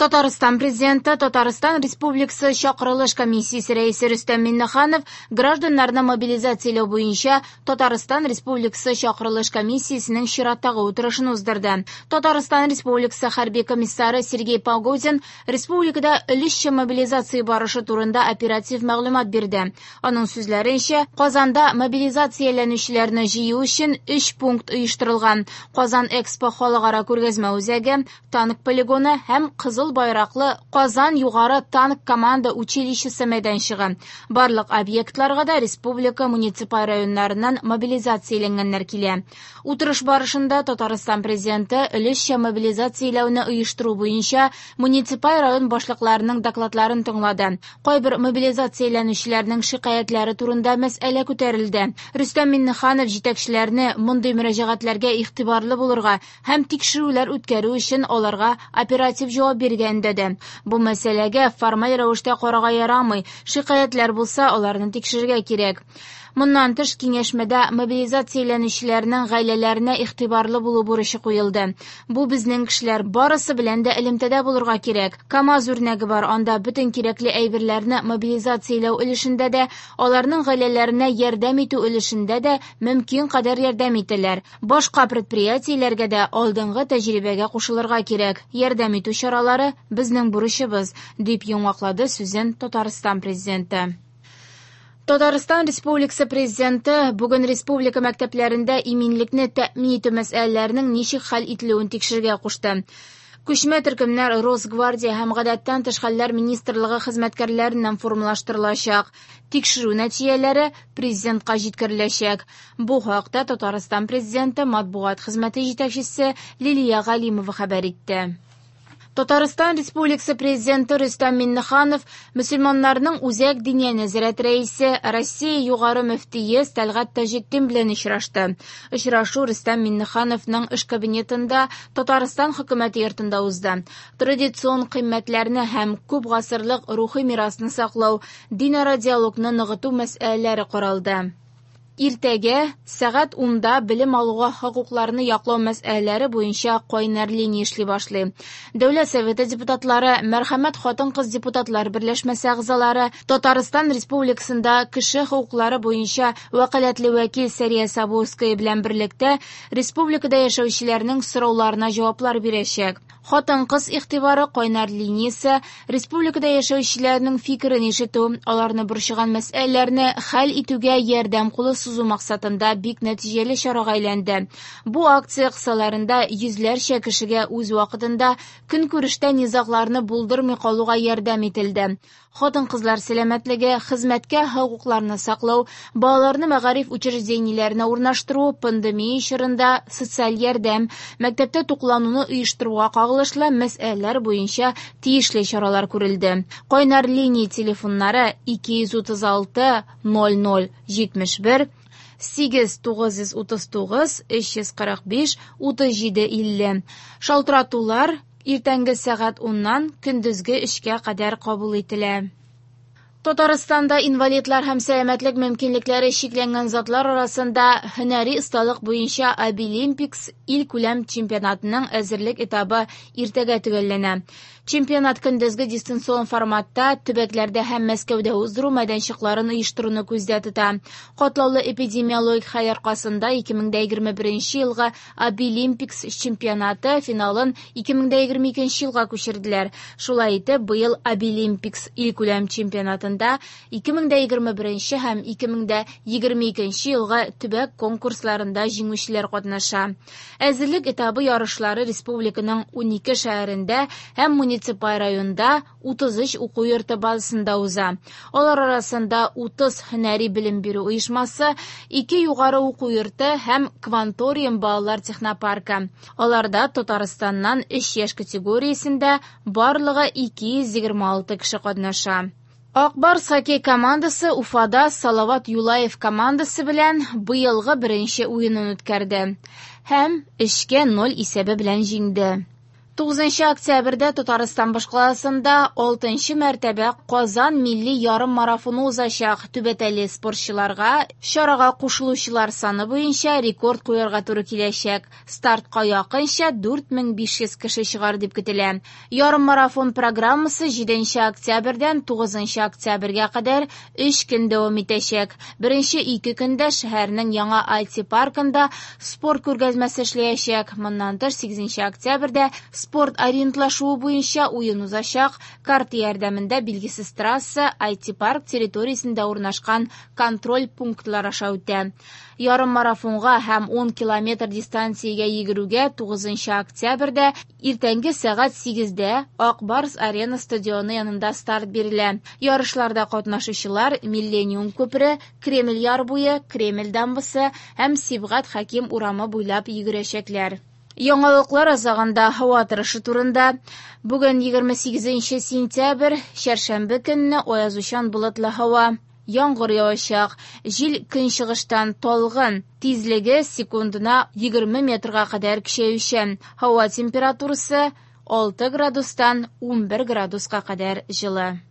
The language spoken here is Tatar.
Татарстан Президенты, Татарстан Республикасы Чакырылыш комиссиясе рәисе Рөстәм Миңнеханов гражданнарны мобилизацияләү буенча Татарстан Республикасы Чакырылыш комиссиясенең чираттагы утырышын уздырды. Татарстан Республикасы хәрби комиссары Сергей Погодин республикада өлешчә мобилизация барышы турында оператив мәгълүмат бирде. Аның сүзләренчә, Казанда мобилизацияләнүчеләрне җыю өчен өч пункт оештырылган: Казан Экспо халыкара күргәзмә үзәге, танк полигоны һәм Кызыл байраклы Казан югары танк команда училищесы мәйданчыгы. Барлык объектларга да республика муниципаль районнарыннан мобилизацияләнгәннәр килә. Утырыш барышында Татарстан Президенты өлешчә мобилизацияләүне оештыру буенча муниципаль район башлыкларының докладларын тыңлады. Кайбер мобилизацияләнүчеләрнең шикаятьләре турында мәсьәлә күтәрелде. Рөстәм Миңнеханов җитәкчеләрне мондый мөрәҗәгатьләргә игътибарлы булырга һәм тикшерүләр үткәрү өчен аларга оператив җавап бирергә өндәде. Бу мәсьәләгә формаль рәвештә карарга ярамый, шикаятьләр булса, аларны тикшерергә кирәк. Моннан тыш, киңәшмәдә мобилизацияләнүчеләрнең гаиләләренә игътибарлы булу бурычы куелды. Бу безнең кешеләр, барысы белән дә элемтәдә булырга кирәк. КАМАЗ үрнәге бар, анда бөтен кирәкле әйберләрне мобилизацияләү өлешендә дә, аларның гаиләләренә ярдәм итү өлешендә дә мөмкин кадәр ярдәм итәләр. Башка предприятиеләргә дә алдынгы тәҗрибәгә кушылырга кирәк. Ярдәм итү чаралары безнең бурычыбыз, дип йомгаклады сүзен Татарстан Президенты. Татарстан Республикасы Президенты бүген республика мәктәпләрендә иминлекне тәэмин итү мәсьәләләренең ничек хәл ителүен тикшерергә кушты. Күчмә төркемнәр Росгвардия һәм Гадәттән тыш хәлләр министрлыгы хезмәткәрләреннән формалаштырылачак. Тикшерү нәтиҗәләре Президентка җиткереләчәк. Бу хакта Татарстан Президенты матбугат хезмәте җитәкчесе Лилия Галимова хәбәр итте. Татарстан Республикасы Президенты Рөстәм Миңнеханов мөселманнарның Үзәк диния нәзарәт рәисе, Россия югары мөфтие Тәлгать Таҗетдин белән очрашты. Очрашу Рөстәм Миңнехановның эш кабинетында Татарстан хөкүмәте йортында узды. Традицион кыйммәтләрне һәм күп гасырлык рухи мирасны саклау, динара диалогны ныгыту мәсьәләләре каралды. Иртәгә сәгать 10-да белем алуга хокукларны яклау мәсьәләләре буенча кайнар линия эшли башлый. Дәүләт Советы депутатлары, Мәрхәмәт хатын-кыз депутатлар берләшмәсе әгъзалары, Татарстан Республикасында кеше хокуклары буенча вәкаләтле вәкил Сәрия Сабурская белән берлектә республикада яшәүчеләрнең сорауларына җаваплар бирәчәк. Хатын-кыз игътибары кайнар линиясе республикада яшәүчеләрнең фикерен ишетү, аларны борчыган мәсьәләләрне хәл итүгә ярдәм кулы сузу максатында бик нәтиҗәле чарага әйләнде. Бу акция кысаларында йөзләрчә кешегә үз вакытында көнкүрештә низагларны булдырмый калуга ярдәм ителде. Хатын-кызлар сәламәтлеге, хезмәткә хокукларны саклау, балаларны мәгариф учреждениеләренә урнаштыру, пандемия чорында социаль ярдәм, мәктәптә туклануны оештыруга кагылышлы мәсьәләләр буенча тиешле чаралар күрелде. Кайнар линия телефоннары 236 00 71 8 939 345 37 50. Шалтыратулар иртәнге сәгать 10-нан көндезге 3-кә кадәр кабул ителә. Татарстанда инвалидлар һәм сәламәтлек мөмкинлекләре чикләнгән затлар арасында һөнәри осталык буенча Абилимпикс илкүләм чемпионатының әзерлек этабы иртәгә төгәлләнә. Чемпионат көндезге дистанцион форматта төбәкләрдә һәм Мәскәүдә уздыру мәйданчыкларын оештыруны күздә тота. Катлаулы эпидемиологик хәл аркасында 2021 елгы Абилимпикс чемпионаты финалын 2022 елга күчерделәр. Шулай итеп, быел Абилимпикс илкүләм чемпионатында 2021 һәм 2022 елгы төбәк конкурсларында җиңүчеләр катнаша. Әзерлек этабы ярышлары республиканың 12 шәһәрендә һәм муниципаль районда 33 уку йорты базасында уза. Алар арасында 30 һөнәри белем бирү оешмасы, 2 югары уку йорты һәм Кванториум балалар технопаркы. Аларда Татарстаннан 3 яшь категориясендә барлыгы 226 кеше катнаша. Ак Барс хоккей командасы Уфада Салават Юлаев командасы белән быелгы беренче уенын үткәрде һәм 3-0 исәбе белән җиңде. 9 октябрьдә Татарстан башкаласында 6 мәртәбә Казан милли ярыммарафоны узачак. Түбәтәйле спортчыларга чарага кушылучылар саны буенча рекорд куярга туры киләчәк. Стартка якынча 4500 кеше чыгар дип көтелә. Ярыммарафон программасы 7 октябрьдән 9 октябрьгә кадәр 3 көн дәвам итәчәк. Беренче 2 көндә шәһәрнең яңа IT-паркында спорт күргәзмәсе эшләячәк. Моннан тыш 8 октябрьдә спорт ориентлашуы буенча уен узачак. Карта ярдәмендә билгесез трасса IT-парк территориясендә урнашкан контроль пунктлар аша үтә. Ярыммарафонга һәм 10 километр дистанциягә йөгерүгә 9 октябрьдә иртәнге сәгать 8дә Ак Барс Арена стадионы янында старт бирелә. Ярышларда катнашучылар Миллениум күпере, Кремль яр буе, Кремль дамбасы һәм Сибгат Хәким урамы буйлап йөгерәчәкләр. Яңалыклар азагында һава торышы турында. Бүген 28 сентябрь, чәршәмбе көнне аязучан болытлы һава. Яңгыр явачак. Җил көнчыгыштан талгын, тизлеге секундына 20 метрга кадәр көчәючән. Һава температурасы 6 градустан 11 градуска кадәр җылы.